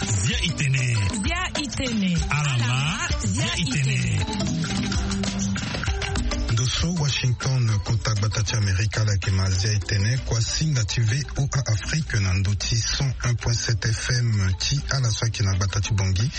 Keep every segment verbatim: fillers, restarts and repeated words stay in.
Zia itene. Zia itene. Alama. Zia itene. Ndo so Washington, kota gbata ti Amerika, ala yeke ma zia itene. Kua singa ti VOA Afrique na ndo ti cent un point sept F M ti ala so ayeke na gbata ti Bangui,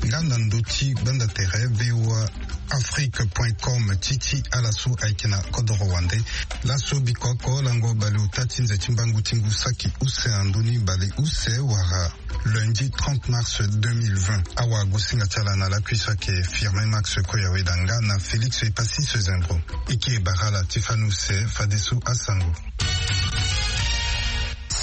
nga na ndo ti gbanda tere VOA Afrique point com ti ti ala so ayeke na kodoro wande. Laso biko oko lango baleota ti nze ti mbangu ti ngu saki use na ndoni baleuse wala lundi trente mars deux mille vingt. Awagosinga ti ala na lakui so ayeke Firmin Max Koyaweda nga na Félix Epassis Zembro. E kiri bara ala ti fani use fadeso asango.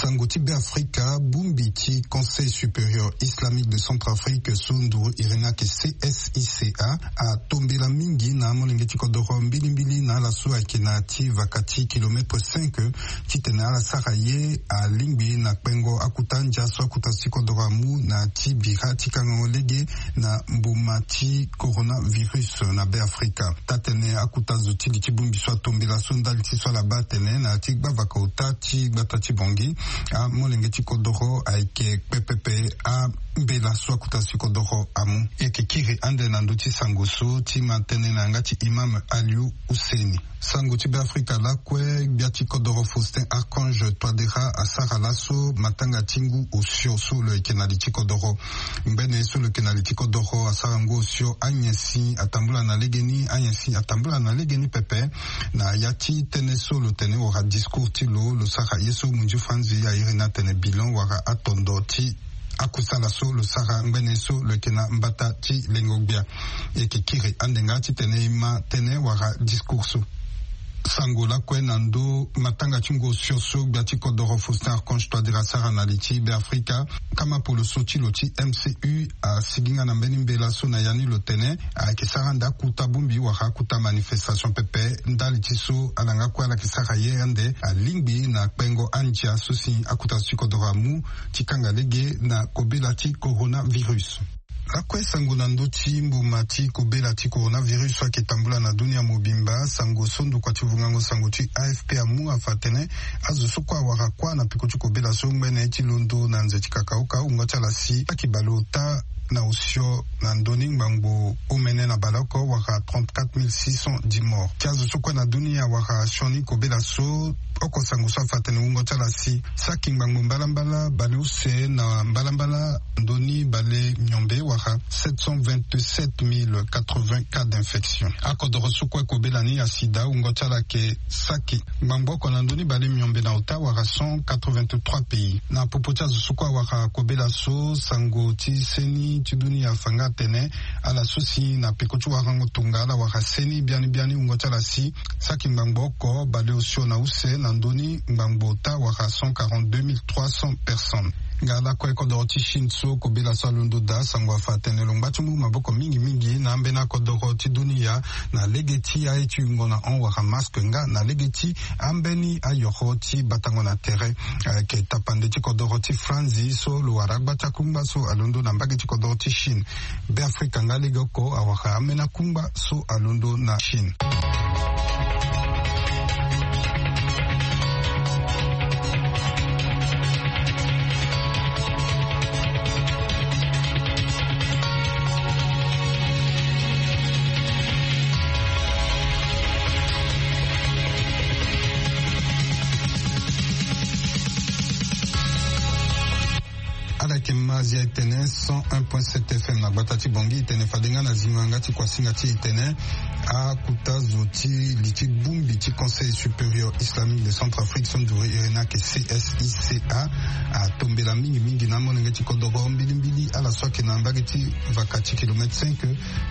Sango ti Beafrika, bongbi ti Conseil Supérieur Islamique de Centrafrique so nduru iri ni ayeke C S I C A, atombela mingi na amolenge ti kodoro mbilimbili na ala so ayeke na ya ti vaka ti kilomètre cinq, titene ala sara ye alingbi na kpengo akuta ndia so akuta ti kodoro amu na ya ti bira ti kangango lege na mbuma ti coronavirus na Beafrika. Taa-tene akuta zo ti li ti bongbi so atombela so ndali ti so ala baa atene na ya ti gbavaka ota ti gbata ti Bangui, amolenge ti kodoro ayeke kpe pepe ambela so akuta ti kodoro amu. E yeke kiri ande na ndö ti sango so ti ma tënë na yanga ti Imam Aliou Husseini. Sango ti Beafrika lakue, gbia ti kodoro Faustin Archange Touadéra asara laso matanga ti ngu osio so lo yeke na li ti kodoro. Ngbene so lo yeke na li ti kodoro asara ngu osio, anyen si atambula na legeni, anyen si atambula na legeni pepe. Na ya ti tënë so lo tene wala discours ti lo, lo sara ye so munzu franzi airi ni atene bilan wala atondo ti akusala so lo sara ngbene so lo yeke na mbata ti lengo-gbia. E yeke kiri ande nga titene e ma tënë wala discours so. Sango lakue na ndö matanga ti ngu osio so gbia ti kodoro Faustin Archange Touadéra asara na li ti Beafrika. Kama polo so ti lo ti M C U asigi nga na mbeni mbela so na ya ni lo tene ayeke sara ande akuta bongbi wala akuta manifestation pepe. Ndali ti so ala nga kue ala yeke sara ye ande alingbi na kpengo andia so si akuta so ti kodoro amu ti kanga lege na kobela ti coronavirus. Lakue sango na ndö ti mbuma ti kobela ti coronavirus so ayeke tambula na dunia mobimba. Sango so ndokua ti vungango sango ti A F P amu afa atene azo so kue awara kuâ na peko ti kobela so ngbene ti londo na nze ti kakaoka wungo ti ala si saki baleota na osio na ndö ni ngbangbo omene na baleoko wala trente-quatre mille six cent dix morts. Ti azo so kue na dunia awara sioni kobela so, oko sango so afa atene wungo ti ala si saki ngbangbo mbalambala baleuse na mbalambala ndö ni bale miombe wala sept cent vingt-sept mille quatre-vingts cas d'infection. Akodoro so kue kobela ni asida wungo ti ala ayeke saki ngbangbo oko na ndö ni bale miombe na ota wala cent quatre-vingt-trois pays. Na popo ti azo so kue awara kobela so, sango ti seni ti dunia afa nga atene ala so si na peko ti warango tonga ala wara seni biani biani wungo ti ala si saki ngbangbo oko baleosio na use na ndö ni ngbangbo ota wala cent quarante-deux mille trois cents personnes. Nga lakue kodoro ti Chine so kobela so alondo daa, sango afa atene lo ngba ti mu maboko mingi mingi na ambeni akodoro ti dunia na lege ti aye ti yungo na hon wala masque nga na lege ti ambeni ayoro ti batango na tere. Ayeke tapande ti kodoro ti Franzi so lo wara agba ti akungba so alondo na mbage ti kodoro ti Chine. Beafrika nga lege oko awara ambeni akungba so alondo na Chine. Ala yeke ma zia etene cent un point sept F M na gbata ti Bangui. Etene fade nga na zingo yanga ti kuasinga ti etene. Akuta zo ti li ti bongbi ti Conseil Supérieur Islamique de Centrafrique so nduru iri ni ayeke C S I C A atombela mingi mingi na amolenge ti kodoro mbilimbili ala so ayeke na mbage ti vaka ti kilomètre cinq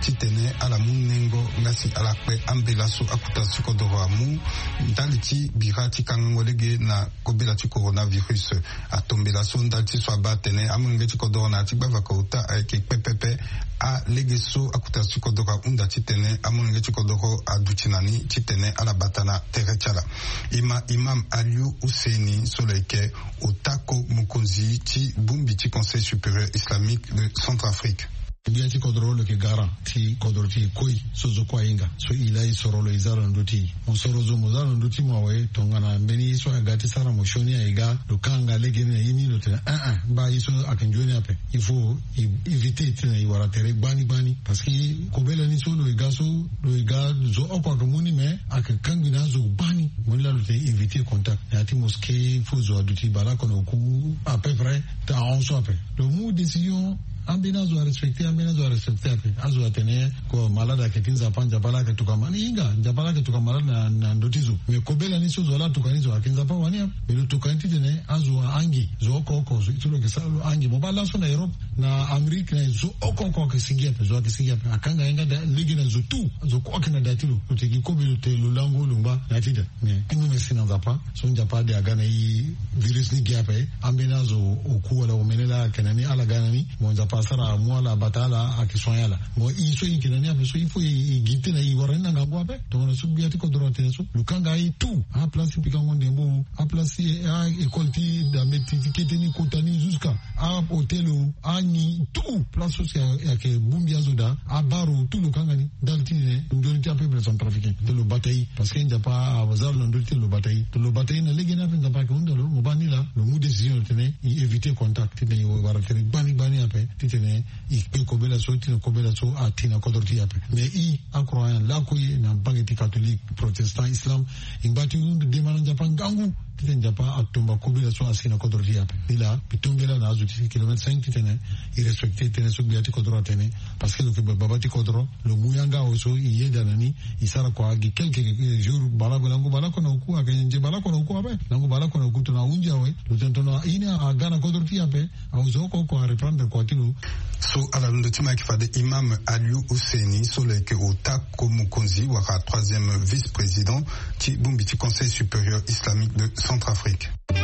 titene ala mu nengo nga si ala kpe ambela so akuta zo ti kodoro amu ndali ti bira ti kangango lege na kobela ti coronavirus. Atombela so ndali ti so abaa atene amolenge ti kodoro na ya ti gbavaka ota ayeke kpe pepe alege so akuta zo ti kodoro ahunda titene amolenge ti kodoro aduti na ni titene ala bata na tere ti ala. E ma Imam Aliou Husseini so lo yeke ota ko mokonzi ti bongbi ti Conseil Supérieur Islamique de Centrafrique. Gbia ti kodro lo yeke garant ti kodro ti e koi so zo kue ahinga so e laa e soro lo e za lo na ndö ti e. Mo soro zo mo za lo na ndö ti mo awe, tongana mbeni ye so aga ti sara mo sioni aye ga lo kanga legeni na ye ni lo tene ah ah, mba ye so ayeke nzoni ape. Il faut e éviter titene e wara tere gbani gbani. Parce que kobela ni so lo e ga so lo e ga zo oko ayeke mu ni mais ayeke kangbi na azo gbani. Mo ni laa lo tene éviter contact na ya ti mosquée fo zo aduti baleoko na oku à peu près. Ahon so ape lo mu décision. Ambeni azo arespecte, ambeni azo arespecte ape. Azo atene ko malade ayeke ti nzapa, nzapa laa ayeke tokua malade. Hinga nzapa laa ayeke tokua malade na ndö ti zo. Mais kobela ni so zo laa atokua ni zo ayeke nzapa wani ape. Mais lo tokua ni titene azo ahangi zo oko oko so lo yeke sara lo ahangi. Mo baa laso na Europe, na Amérique, na zo oko oko ayeke sigi ape, zo ayeke sigi ape. Akanga ye nga da lege na zo tout. Zo kue ayeke na da ti lo. Lo tene gi kobe lo tene lo lango lo ngba na ya ti da. Mais ti mu merci na nzapa so nzapa ade aga na e virus ni gi ape. Ambeni azo oku wala omene laa ayeke na ni ala ga na ni. Mo nzapa asara amu ala abata ala ayeke soin ala. Mo e so e yeke na ni ape so il faut e gi tena e wara ni na ngangu ape. Tongana so gbia ti kodro atene so lo kanga aye tout. Aplace ti pikango ndembo, aplace ti a-école ti dambe ti kete ni kota ni jusqu'à a-hôtel o, anyi tout place so si ayeke bongbi azo daa. Abaro tout lo kanga ni. Ndali ti tene nzoni ti apeuple centrafricain ti lo bata e. Parce que nzapa aza lo na ndö ti tene lo bata e. Lo bata e na legeni ape nzapa ayeke hunda lo. Mo baa ni laa lo mu décision lo tene e éviter contact titene e wara tere gbani gbani ape titene e kpe kobela so titene kobela so ati na kodro ti e ape. Mais e akroyant lakue na mbage ti catholique, protestant, islam, e ngba ti hunde dema na nzapa ngangu titene nzapa atomba kobela so asi na kodro ti e ape. Ni laa mbi tombela na azo ti kilomètre cinq titene e respecte tënë so gbia ti kodro atene. Parce que lo yeke baba ti kodro, lo mu yanga awe so e yeda na ni. E sara kua gi quelque jour baleoko, lango baleoko na oku ayeke nze baleoko na oku ape. Lango baleoko na oku tongana ahunzi awe lo tene tongana ye ni aga na kodro ti e ape. Awe zo oko oko areprendre kua ti lo. So ala londo ti ma ayeke fade Imam Aliou Ousseini so lo yeke ota ko mokonzi wala troisième vice-président ti bongbi ti Conseil supérieur islamique de Centrafrique. E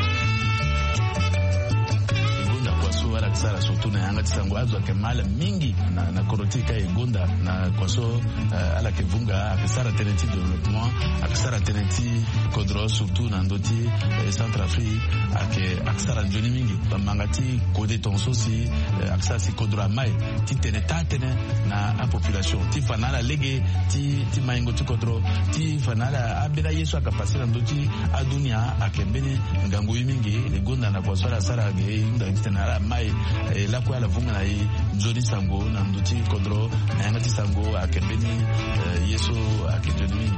gonda kua so ala yeke sara surtout na yanga ti sango azo ayeke mal mingi na, na kodro ti e ka e gonda na kua so, eh, ala yeke vunga ayeke sara tënë ti développement, ayeke sara tënë ti kodro surtout na ndö ti, eh, Centrafrique ayeke, ayeke sara nzoni mingi. Bamanga ti kode tonga so si, eh, ayeke sara si kodro amai ti tene taa tënë na apopulation ti fa na ala lege ti, ti maingo ti kodro, ti fa na ala ambeni aye so ayeke pase na ndö ti adunia ayeke mbeni ngangu ye mingi. E gonda na kua so ala sara ge e hunda titene ala mai, eh, lakue ala vunga na e nzoni sango na ndö ti kodro na yanga ti sango ayeke mbeni, eh, ye so ayeke nzoni mingi.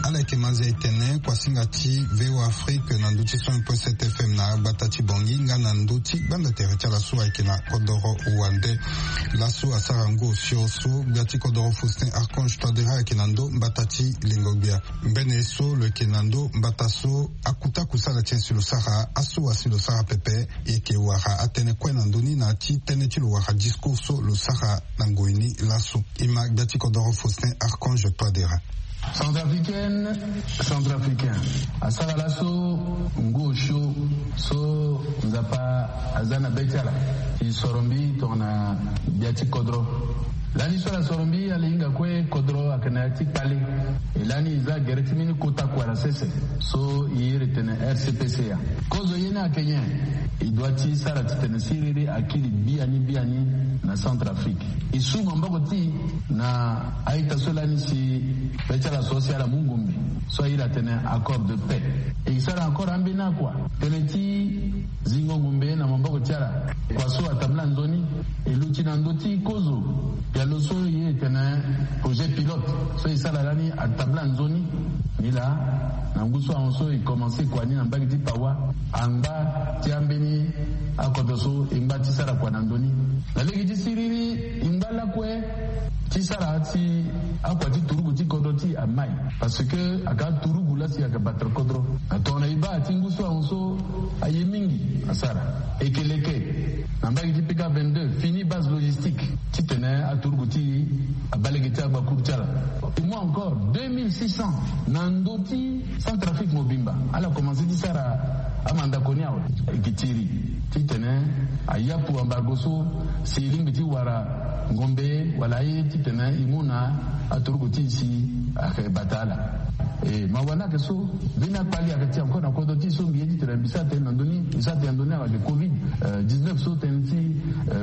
Ala yeke manze e tene kuasinga ti V O A Afrique na ndö ti cent point sept F M na gbata ti Bangui nga na ndö ti gbanda tere ti ala so ayeke na kodoro wande. Laso asara ngu osio so gbia ti kodoro Faustin Archange Touadéra ayeke na ndö mbata ti lengo gbia. Mbene so lo yeke na ndö mbata so akuta kusala ti en si lo sara aso asi lo sara pepe. E yeke wara atënë kue na ndö ni na ya ti tënë ti lo wara discours so lo sara na ngoi ni laso. E ma gbia ti kodoro Faustin Archange Touadéra. Centrafricaine, centrafricain, asara laso ngu osio so Nzapa aza na be ti ala. E soro mbi tongana gbia ti kodro. Lani so ala soro mbi ala hinga kue kodro ayeke na ya ti kpale. E lani e za gere ti mbeni kota kua na sese so e iri tene R C P C A. Kozo ye ni ayeke nyen? E doit ti sara titene siriri akiri biani biani na Centrafrique. E su maboko ti e na a-ita so lani si be ti ala so si ala mu ngombe so airi atene accord de paix. E sara encore ambeni akua tënë ti zingo ngombe na maboko ti ala. Kua so atambula nzoni. E luti na ndö ti kozo pialo so e iri tene projet pilote so e sara lani atambula nzoni. Ni laa na ngu so ahon so e komanse kua ni na mbage ti Pawa. Angba ti ambeni akodro so e ngba ti sara kua na ndö ni. Na lege ti siriri e ngba lakue ti sara ti akua ti turugu ti kodro ti e amai. Parce que aga turugu lasi aga batre kodro. Na tongana e baa ti ngu so ahon so aye mingi asara. Eke leke na mbage ti P K vingt-deux fini base logistique titene aturugu ti e abaa lege ti agbakuru ti ala. E mu encore deux mille six cents na ndö ti Centrafrique mobimba. Ala komanse ti sara amandako ni awe. E yeke tiri titene ayapu ambargo so si e lingbi ti wara ngombe wala aye titene e mu na aturugu ti e si ayeke bata ala. E mawa ni ayeke so, mbeni akpali ayeke ti encore na kodro ti e so mbi ye ti tene mbi sara tënë na ndö ni, mbi sara tënë na ndö ni ayeke covid dix-neuf so, tënë ti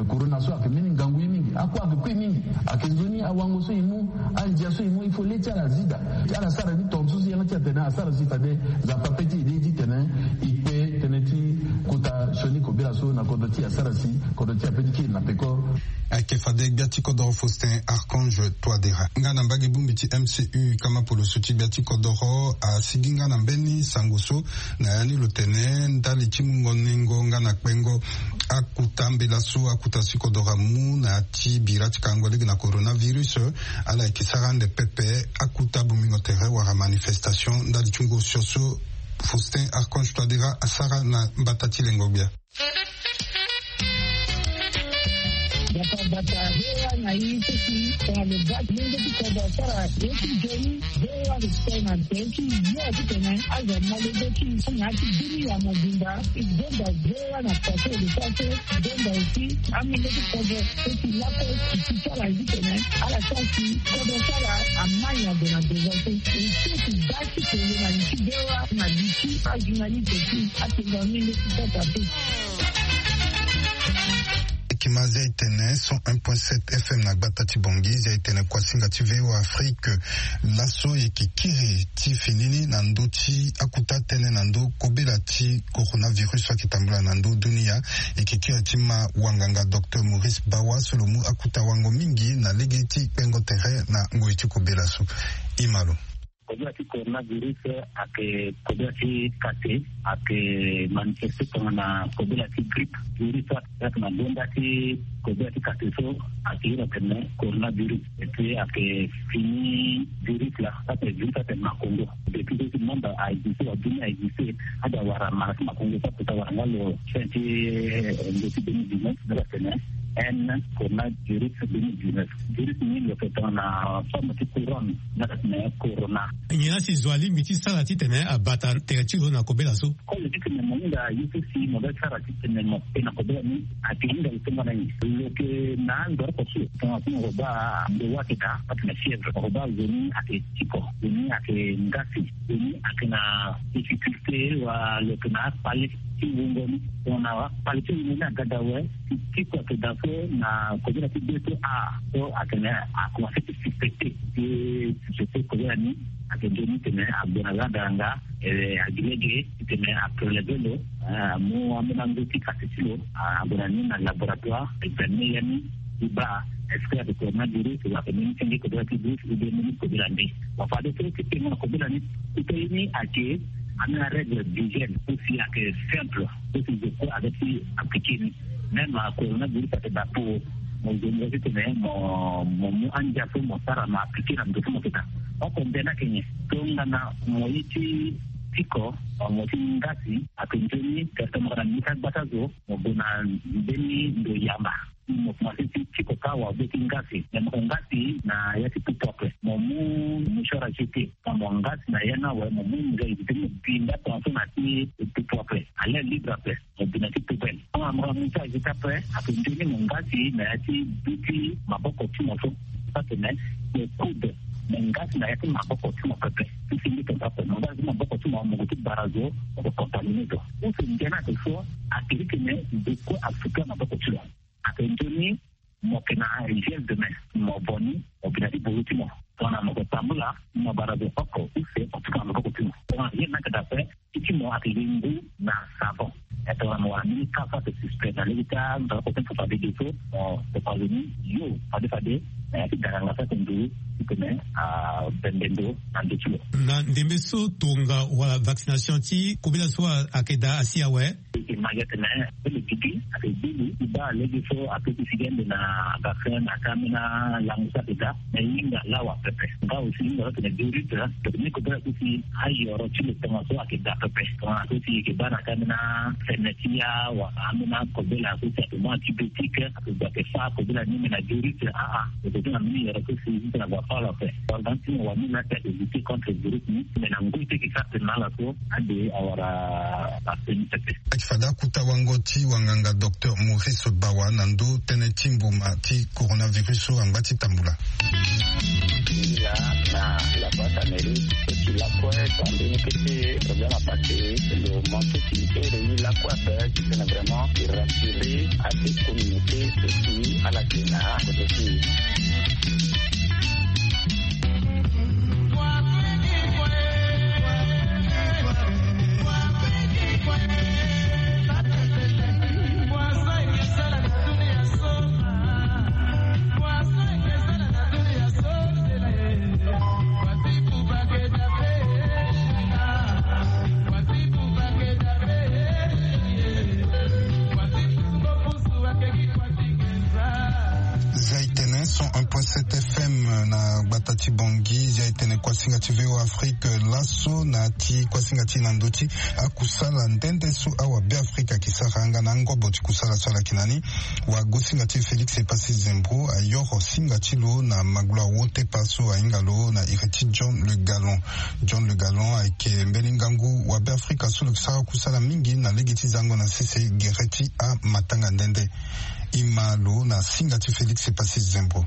corona so ayeke mbeni ngangu ye mingi, ako ayeke kue mingi. Ayeke nzoni awango so e mu, andia so e mu, il faut le ti ala azi daa ti ala sara ni tongaso si yanga ti atene asara si fade Nzapa pe ti e ye ti tene e kpe tënë ti kota sioni kobela so na kodro ti e asara si kodro ti e ape ti kiri na peko. Ayeke fade gbia ti kodoro Faustin Archange Touadéra nga na mbage bongbi ti M C U kama poloso ti gbia ti kodoro asigi nga na mbeni sango so, na ya ni lo tene ndali ti mungo nengo nga na kpengo akuta mbela so akuta si kodoro amu na ya ti bira ti kango lege na coronavirus, ala yeke sara ande pepe akuta bongbingo tere wala manifestation ndali ti ngosio so Faustin Archange Touadéra asara na mbata ti lengo gbia. Bata bata, V O A na i seki tongana lo ga ti lenge ti kodro asara ye ti nzoni. V O A lo sika na nze ti yo ti tene azo amolenge ti i na ya ti dunia mobimba. I zonda V O A na pase lo sara so, zonda aussi amolenge ti kodro so ti lape ti ti sara ye ti tene ala sara si kodro sara amai ague na devant so. E seki ga ti tene na li ti V O A na li ti ajournaliste ti atenga amolenge ti sasa pe. Eke ma zia e tene cent un point sept F M na gbata ti Bangui, zia e tene kuasinga ti V O A Afrique. Laso e yeke kiri ti fini ni na ndö ti akuta tënë na ndö kobela ti coronavirus so ayeke tambula na ndö dunia. E yeke kiri ti ma wanganga docteur Maurice Bawa so lo mu akuta wango mingi na lege ti kpengo tere na ngoi ti kobela so. E ma lo. Kobela ti coronavirus ayeke kobela ti kate, ayeke manifeste tongana kobela ti grippe. Virus so ayeke na gonda ti kobela ti kate so ayeke iri atene coronavirus. Et puis ayeke fini virus laa, so atene virus so atene makongo. Depuis so ti monde a existe, wala dunia a existe, ade awara mara ti makongo so akota wara nga lo fin ti, eh, nze ti deux mille dix-neuf, nde atene N coronavirus deux mille dix-neuf. Virus ni lo yeke tongana forme ti couronne, nde atene corona. Nyen la si zo alingbi ti sara titene abata tere ti lo na kobela so? Koli ti tene mo hinga ye so si mo ga ti sara titene mo kpe na kobela ni, ayeke hinga lo tongana nyen? Lo yeke na andoro oko so tongana so mo baa ndo wa ayeke daa, atene fièvre, mo baa zo ni ayeke tiko, zo ni ayeke ngasi, zo ni ayeke na difficulté, wala lo yeke na akpale ti wungo ni. Tongana akpale ti wungo ni aga daa awe, ti tiko ayeke daa so na kobela ti be so a so atene akomanse ti suspecté ti suspecté kobela ni. Ayeke nzoni titene ague na lada nga, eh, agi lege titene apreleve lo, eh, amu ambeni ango ti kati ti lo, ah, ague na ni na laboratoire, examine ya ni, ti baa est-ce que ayeke coronavirus wala ayeke mbeni senge kobela ti virus ou bien mbeni kobela nde. Bon, fade so ti tengo na kobela ni, ti pe ye ni ayeke ambeni arègle d'hygiène aussi ayeke simple. Ti zo kue aga ti appliqué ni. Même coronavirus ayeke daa po, mo zo mo ga titene mo, mo mu andia so mo sara mo appliqué na ndo so mo yeke daa. Oko mbeni ayeke nyen? Tongana mo ye ti tiko, mo ti ngasi, ayeke nzoni, certainement na mbi ti agbata zo, mo gue na mbeni ndo yamba. Mo komanse ti tiko kâ wala be ti ngasi. Me mo ngasi na ya ti pupu ape. Mo mu mouchoir à jeter. Mo ngasi na ya ni awe, mo mu ngai ti mo bi nda tongaso na ti pupu ape. À l'air libre ape. Mo bi na ti poubelle. Tongana mo ga mouchoir à jeter ape, ayeke nzoni mo ngasi na ya ti bi ti maboko ti mo so. Atene mo coude, mo ngasi na ya ti maboko ti mo pepe. Ti fini tongaso ape, mo ngasi ti maboko ti mo, mo gue ti bara zo, mo gue contaminé zo. Use ngia ni ayeke so, ayeke titene zo kue asuka maboko ti lo. Ayeke nzoni mo yeke na gel de main, mo vo ni, mo bi na ti boro ti mo. Tongana mo yeke tambula, mo bara zo oko use, mo tuka na maboko ti mo. Tongana ye ni ayeke daa ape, ti ti mo ayeke gi ngu na savon. E tongana mo wara mbeni ka so ayeke suspect na lege ti andoro oko ti mo fade ge so, mo, mo kpa zo ni, yo, fade fade, na ya ti danganga so ayeke nduru, titene abembe ndo na ndö ti lo. Na ndembe so tonga wala vaccination ti kobela so ayeke daa asi awe? E ma gi atene, pe lo gigi, ayeke gigi, ti baa lege so ape ti sigi ande na vaccin na ka ambeni alango so ayeke daa, me hinga lawa pepe. Nga aussi hinga so atene virus, donc ni kobela so si ayoro ti lo tongaso ayeke daa pepe. Tongana so si e yeke baa na ka ambeni afene ti ya, wala ambeni akobela so si ayeke mu antibiotique, ayeke gue ayeke fâ kobela ni me na virus, aa. Lo yeke zi na mbeni yoro so si, si tena gue afâ lo ape. Wala ti mo wani laa si ayeke lutter contre virus ni, me na ngoi ti e yeke sara tene na ala so, ande awara vaccin ni pepe. Ayeke fade akuta wango ti wanganga docteur Maurice Bawa na ndö tënë ti mboma ti coronavirus so angba ti tambula. Mingi laa na la boîte à mairie, so ti Lakue tonga mbeni kete problème apassé, lo manque ti ere ni lakue ape ti tene vraiment e rassurer ate communauté ti ala tena kote ti. Zia e tene cent un point sept F M na gbata ti Bangui. Zia e tene kuasinga ti V O Afrique laso na ti kuasinga ti na ndö ti akusala nde nde so awa Beafrika ayeke sara nga na angobo ti kusala so ala yeke na ni. Wagosinga ti Félix Epassi Zembro ayoro singa ti lo na maglo awo tepa so ahinga lo na iri ti John Le Gallon. John Le Gallon ayeke mbeni ngangu wa Beafrika so lo yeke sara kusala mingi na lege ti zango na sese gere ti amatanga nde nde. E ma lo na singa ti Félix Epassi Zembro.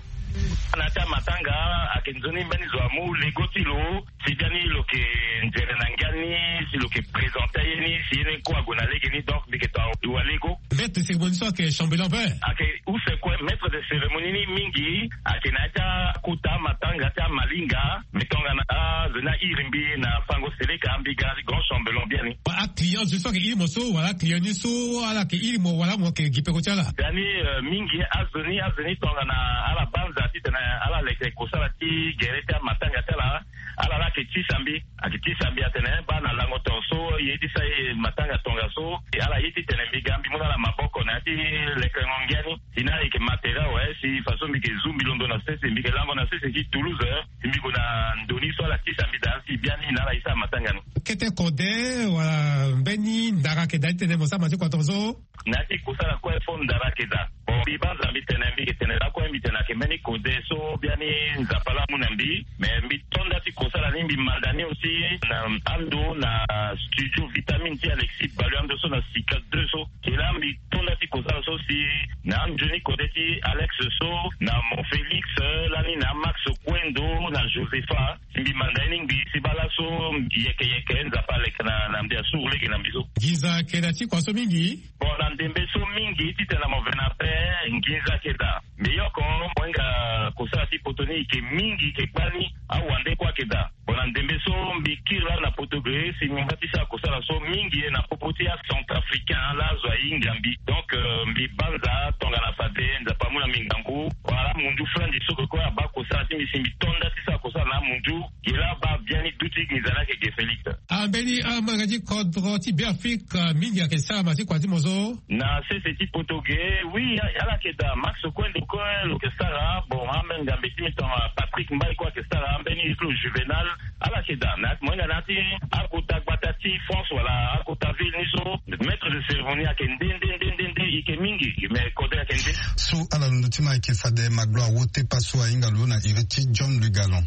Na ya ti amatanga ayeke nzoni mbeni zo amu lego ti lo. Si biani lo yeke nzere na ngia ni, si lo yeke présenter aye ni, si ye ni kue ague na lege ni, donc mbi yeke to aduti wa lego. Maître de cérémonie so ayeke chambellan vert. Ayeke use kue maître de cérémonie ni mingi, ayeke na ya ti akota amatanga ti amalinga, mbi tongana azo ni airi mbi na fango seleka, mbi ga na ti grand chambellan biani. Aclient zo so ayeke iri mo so, wala aclient ni so ala yeke iri mo, wala mo yeke gi peko ti ala? Biani, euh, mingi azo ni, azo ni tongana ala banza titene ala leke kosala ti gere ti amatanga ti ala. Ala la ayeke tisa mbi, ayeke tisa mbi atene, eh, baa na lango tongaso, ye ti sa ye matanga tongaso, ala ye titene mbi ga mbi mu na ala maboko na ya ti lekerengo ngia ni. Si na ala yeke matériel awe, si façon mbi yeke zu mbi londo na sese, mbi yeke lango na sese ti Toulouse, eh, si mbi gue na ndo ni so ala tisa mbi daa, si biani na ala ye sara matanga ni. Kete kode, wala mbeni ndara ayeke daa titene mo sara matanga ti kua tongaso? Na ya ti kosala kue fo ndara ayeke daa. Bon, mbi banza mbi tene, mbi yeke tene lakue, mbi tene ayeke mbeni kode so biani Nzapa la amu na mbi. Mais mbi to nda ti kosala ni, mbi manda ni aussi na ando na studio Vitamine ti Alexis Balu, ando so na Sika deux so. Ke la mbi to nda ti kosala so si na anzoni kode ti Alex so, na Mon Félix, lani na Max Kwendo, na Josepha. Si mbi manda ye ni ngbii, si baa laso yeke yeke Nzapa aleke na, na mbi, asuru lege na mbi so. Nginza ayeke daa ti kua so mingi. Bon, na ndembe so mingi titene na mo ve na ape, nginza ayeke daa. Mbi yoko mo hinga kosala ti poto ni, e yeke mingi, e yeke gbani, awande kue ayeke daa. Bon, na ndembe so mbi kiri laa na poto ge, si mbi ngba ti sara kosala so mingi na popo ti acentrafricain laa azo ahinga mbi. Donc, euh, mbi banza tongana fade Nzapa amu na mbi ngangu. Wala amunzu flanzi so kue abaa kosala ti mbi, si mbi to nda ti sara kosala na amunzu. Ge laa abaa biani duti nginza ni ayeke ge Félix. Ambeni amolenge ti kodro ti Beafrika mingi ayeke sara ma ti kua ti mo so? Na sese ti poto ge, oui, a-, ala yeke daa. Max Kwendo kue lo yeke sara. Bon, ambeni ngambe ti mbi tongana Patrick Mbaye kue ayeke sara. Ambeni ti lo Juvenal, ala yeke daa. Na mo hinga na ya ti akota gbata ti France wala akota ville ni so, maître de cérémonie ayeke nde, nde, nde, nde, nde, e yeke mingi, mais kode ayeke nde. So ala londo ti ma ayeke fade maglo awo tepa so ahinga lo na iri ti John Le Gallon.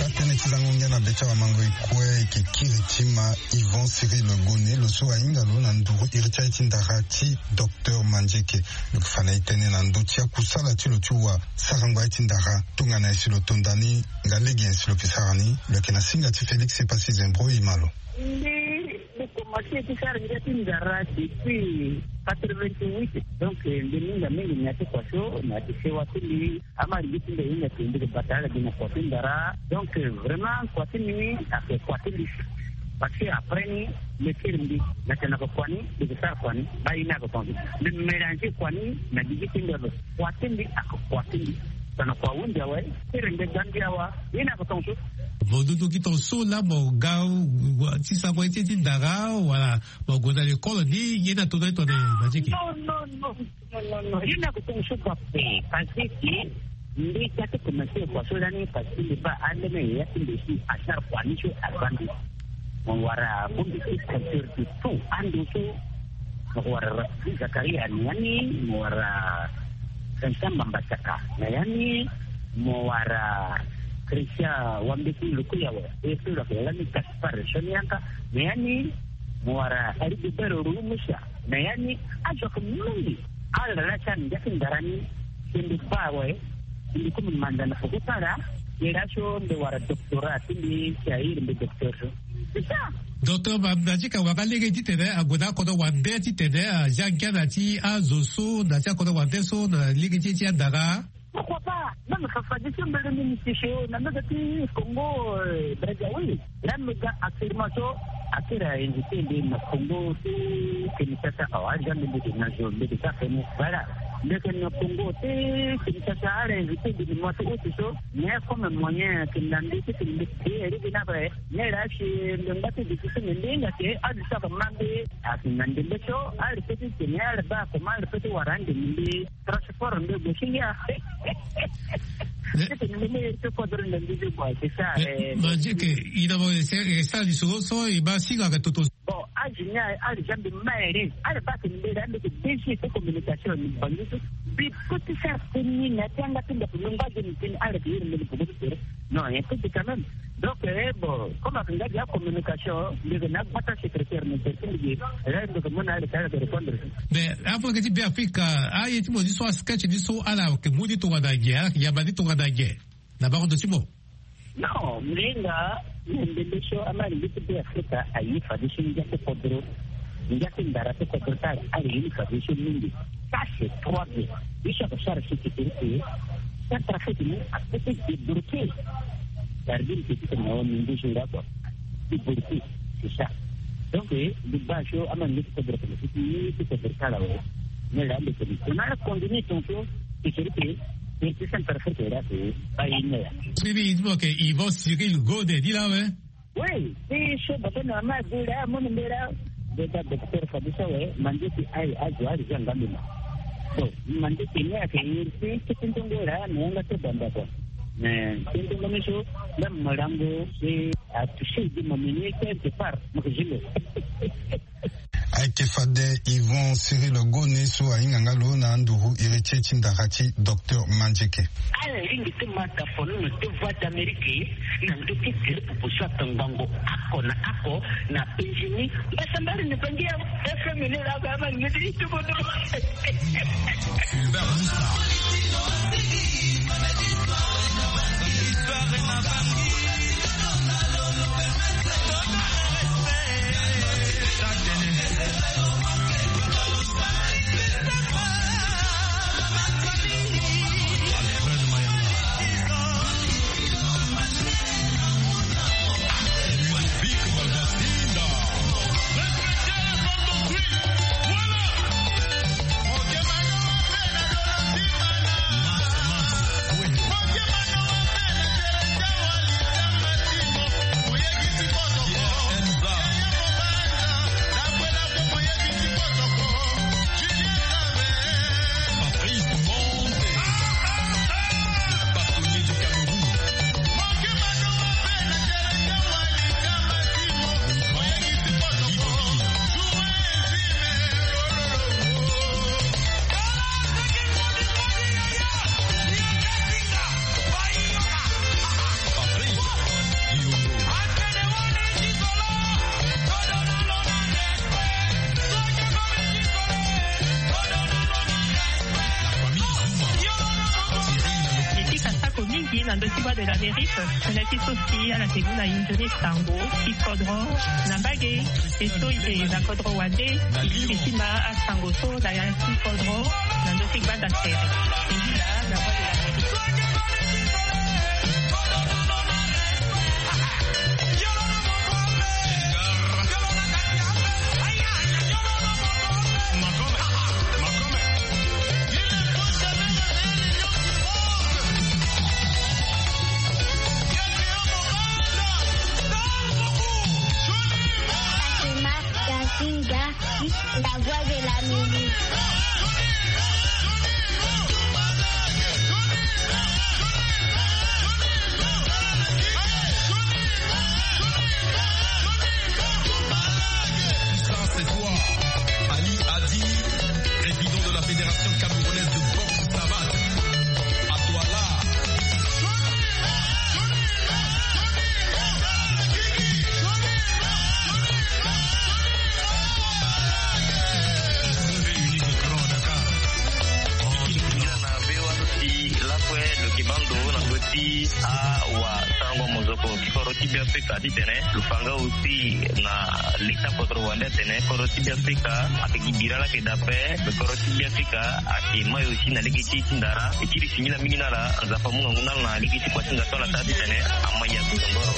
Atënë ti zango ngia na be ti awamango e kue, e yeke kiri ti ma Yvon Cyril Gone, lo so ahinga lo na nduru iri ti aye ti ndara ti Docteur Mandieke. Lo yeke fa na e tënë na ndö ti akusala ti lo ti wa sarango aye ti ndara. Tongana nyen si lo to nda ni, nga lege nyen si lo yeke sara ni, lo yeke na singa ti Félix Epassi Zembro, e ma lo. Mbi, mbi komanse ti sara ngia ti ndara depuis quatre-vingt-huit. Donc, eh, mbi mingi mingi na ya ti kua so, na ya ti sewa ti mbi, amolenge ti mbi ahinga ti mbi bata ala gi na kua ti ndara. Donc, eh, vraiment, kua ti mbi ni ayeke kua ti mbi. Parce que après ni, mbi kiri mbi, na tena ko kua ni, mbi yeke sara kua ni, baa ye ni ayeke tongaso. Mbi mélanger kua ni na gigi ti mbi ape. Kua ti mbi ayeke kua ti mbi. Tongana kua hunda awe, kiri mbi gbaa mbi awa, ye ni ayeke tongaso. Mo duduki ton so la mo ga ti sango ye ti ndara wala mo gue na lekole ni ye ni ato na ye tone. Majeke. Non non non non non non, ye ni ako tongo so kua pe. Parce que mbi ga ti commencer kua so lani parce que mbi baa ande na yaya ti mbi si asara kua ni so aza mbi. Mo wara bongbi ti compteur de tout ando so. Mo wara Rafiki Zakaria na ya ni, mo wara Vincent Mambasaka na ya ni, mo wara Christian Wambeti Lukuyawe, e so lo yeke lani Gaspard Sonianka na ya ni, mo wara Heribert Rumusa na ya ni. Azo ayeke mingi. Ala laa si ande ngia ti ndara ni. Si mbi baa awe, si mbi komi manda na poko ti ala. Ye laa so mbi wara doctorat ti mbi si airi mbi docteur so. C'est ça. Docteur Mambasaka wara lege titene ague na akodro wande titene azia ngia na ti azo so na ti akodro wande so na lege ti e ti andara. Pourquoi pas? Même fafadeso mbele mbi mbi ti so na mbage ti Congo, euh, Brazzaville. Là mbi ga actuellement so akiri a invité mbi na Congo ti Kinshasa. Awa aza mbi mbi ti na zo mbi ti sa feni voilà. Mbi yeke na Congo ti Kinshasa ala invité mbi na mois ti août so. Mais comme moyen ayeke na mbi ti tene mbi ti iri gi na ape. Mais là si mbi ngba ti difficile mbi hinga ke azo so ayeke ma mbi. Ayeke na ndembe so ala peut ti tene ala baa comment ala peut ti wara ande mbi. Transport nde gue si ngia. Titene mbi me iri ti kodro na mbi ti gue c'est ça. Majeke, ina mo e sara lisoro so e baa singa ayeke toto. Bon, age ni ala za mbi ma iri ala baa tene mbi iri ande ti D G ti communication ni bangi so. Mbi peut ti sara teni na ti yanga ti ndaku mbi ngba azo ni teni ala yeke iri mbi ni poko ti tere. Non, un peu quand même. Donc eh bon, comme ayeke nga gi acommunication mbi yeke na agbata secrétaire na tere ti mbi gi. Là mbi yeke mu na ala ti ala yeke répondre. Mais afa yeke ti Be Afrika, aye ti mo ni so asketch ni so ala yeke mu ni tongana nyen, ala yeke yamba ni tongana nyen na bango ndo ti mo? Non, mbi hinga na ndembe so ama alingbi ti Be Afrika aye fadeso ngia ti kodro. Ngia ti ndara ti kodro ti ala ala ye ni fadeso mingi. Ça c'est trois bien. Ye so ayeke sara sécurité. Centrafrique ni apeut ti débloquer. Gardien petit na wa mingi jour là quoi. Débloquer, c'est ça. Donc eh mbi baa so ama alingbi ti kodro tene ti ti ti kodro ti ala awe. Mais là mbi tene tongana ala continue ton so sécurité. Mbi ti Centrafrique là c'est pas une heure. Siri i ti mo yeke Yvon Cyril Gode ni laa awe. Oui, ti so bata na ma agu laa amu ni mbela. Beta docteur fadeso awe mande ti aye azo ala zia ngambi ma. Bon, mande ti ni ayeke iri ti ti ti ndongo laa na yanga ti banda quoi. Mais ti ndongo ni so même molango si atouché di mo mini quelque part mo yeke zi lo. Ayeke fade Yvon Cyril Gone so ahinga nga lo na anduru iri ti e ti ndara ti docteur Mandieke. Ala lingbi ti ma tafono na devoir d'Amérique na ndö ti gere popo so atongbango oko na oko na penzi ni. Mbasambari ni bangi ya F M ni la ba ma ngeti ni tubo do. Mingi na ndö ti Voix de l'Amérique. Tene ti so si ala yeke mu na e nzoni sango ti kodro na mbage. E so e yeke na kodro wande e lingbi ti ma asango so na ya ti kodro na ndö ti gbanda tere. E hila na Voix de l'Amérique. Ti Beafrika titene lo fa nga aussi na leta kodro wande atene kodro ti Beafrika ayeke gi bira laa ayeke daa ape. Kodro ti Beafrika ayeke mai aussi na lege ti e ti ndara. E ti li singila mingi na ala. Nzapa amu ngangu na ala na lege ti kua ti nda so ala sara titene amai ya tongoro.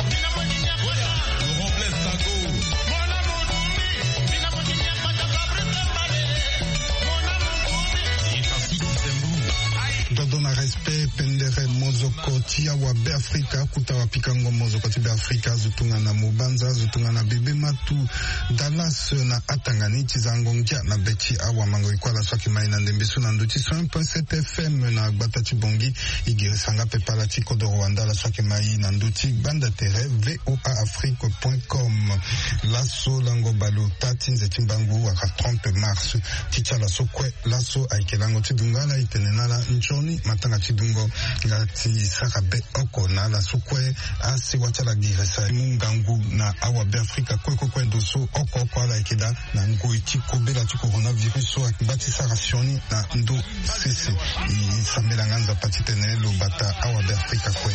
Dodo na respect pendere mozoko ti awa Beafrika, akuta wapikango mozoko ti Beafrika azo tongana Mobanza, azo tongana Bebe Matu, Dallas na atanga ni ti zango ngia na be ti awamango. E kue ala so ayeke mai na ndembe so na ndö ti cent point sept F M na gbata ti Bangui. E girisa nga pepe ala ti kodoro wande ala so ayeke mai na ndö ti gbanda tere V O A Afrique point com. Laso lango bale ota ti nze ti mbangu wala trente mars ti ti ala so kue. Laso ayeke lango ti dungo ala, e tene na ala nzoni matanga ti dungo nga ti sara be oko na ala so kue. Asewa ti ala girisa e mu ngangu na awabeafrika kue kue kue ndo so oko oko ala yeke daa na ngoi ti kobela ti coronavirus so ayeke ngba ti sara sioni na ndo sese. E sambela nga Nzapa titene lo bata awabeafrika kue.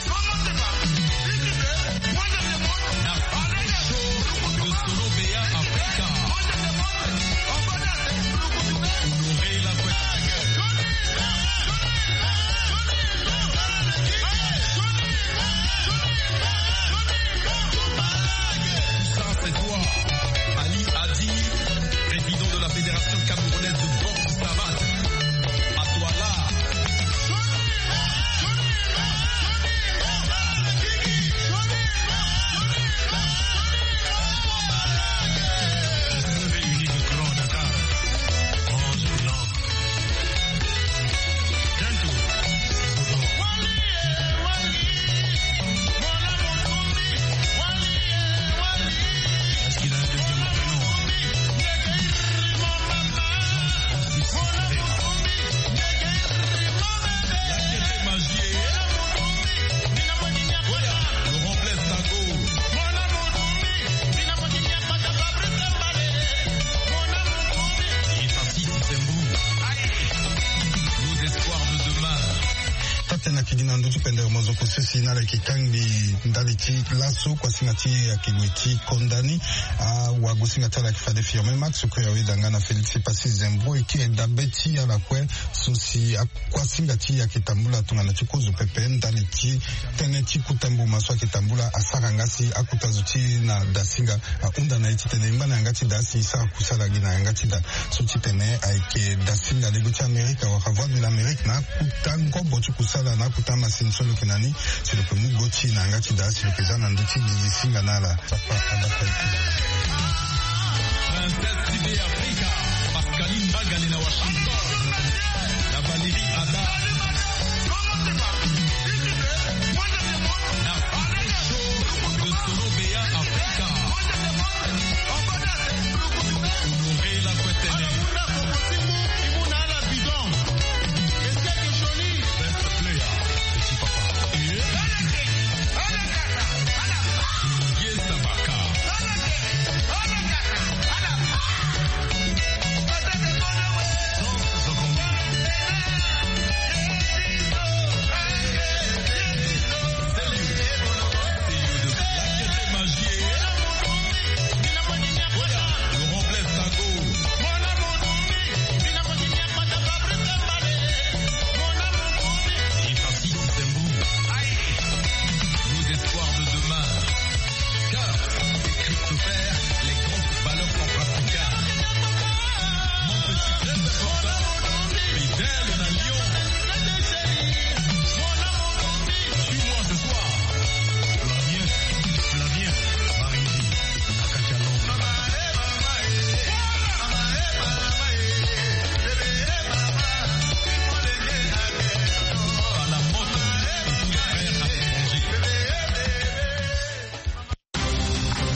Ça, c'est toi. Ali Adi, président de la Fédération camerounaise de boxe savate. À toi là. On se réunit de grand Dakar. Mange blanc. Tata na kigi na ndö ti pendere mozoko sisi na ala yeke kangbi ndali ti laso kuasinga ti e ayeke gue ti konda ni. Awagosinga ti ala ayeke fade Firmin Max kue aweda nga na Félix Passy Zembro e kiri dabe ti ala kue so si akuasinga ti e ayeke tambula tongana ti kozo pepe ndali ti tënë ti kota mboma so ayeke tambula asara nga si akota zo ti e na dasinga ahunda na e titene e ngba na yanga ti da si e sara kusala gi na yanga ti da. So ti tene ayeke dasinga lego ti Amerika wala Voix de l'Amérique na akuta ngobo ti kusala na akuta masini so lo yeke na ni. Si lo yeke mu go ti e na yanga ti da si lo yeke za na ndö ti gigi singa na ala. Sapa adapa ete. Princesse Sidi Afrika, Pascaline Magali na Washington, na Valérie Ada. Na Show de Solo Beya Afrika.